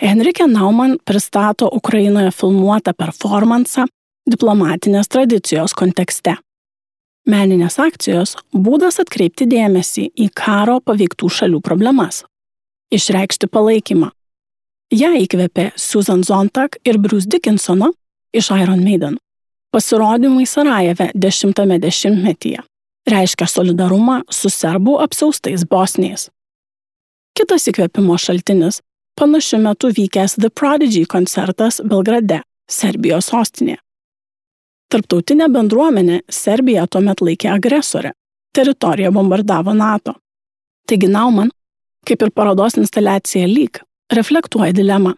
Henrike Nauman pristato Ukrainoje filmuotą performansą diplomatinės tradicijos kontekste. Meninės akcijos būdas atkreipti dėmesį į karo paveiktų šalių problemas, išreikšti palaikymą. Ją įkvėpė Susan Sontag ir Bruce Dickinsono iš Iron Maiden. Pasirodymai Sarajeve 10-ame dešimtmetyje reiškia solidarumą su serbų apsiaustais bosniais. Kitas įkvėpimo šaltinis panašiu metu vykęs The Prodigy koncertas Belgrade, Serbijos sostinėje. Tarptautinė bendruomenė Serbiją tuomet laikė agresorę, teritoriją bombardavo NATO. Taigi Nauman, kaip ir parodos instaliacija Lyg, reflektuoja dilemą.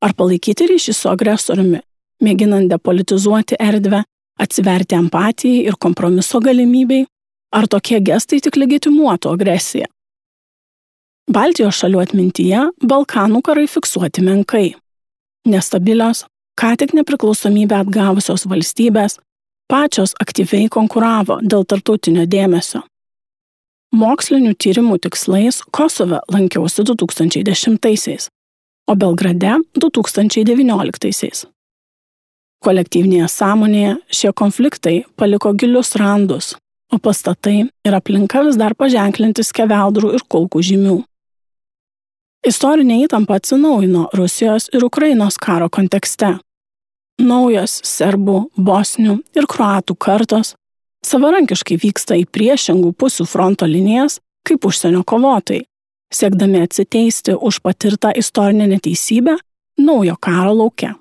Ar palaikyti ryšį su agresoriumi, mėginant depolitizuoti erdvę, atsiverti empatijai ir kompromiso galimybei, ar tokie gestai tik legitimuotų agresiją? Baltijos šalių atmintyje Balkanų karai fiksuoti menkai. Nestabilios, ką tik nepriklausomybę atgavusios valstybės, pačios aktyviai konkuravo dėl tarptautinio dėmesio. Mokslinių tyrimų tikslais Kosove lankiausi 2010-aisiais, o Belgrade 2019-aisiais. Kolektyvinėje sąmonėje šie konfliktai paliko gilius randus, o pastatai ir aplinka vis dar paženklinti skeveldrų ir kulkų žymių. Istorinė įtampa atsinaujino Rusijos ir Ukrainos karo kontekste. Naujos serbų, bosnių ir kroatų kartos savarankiškai vyksta į priešingų pusių fronto linijas kaip užsienio kovotojai, siekdami atsiteisti už patirtą istorinę neteisybę naujo karo lauke.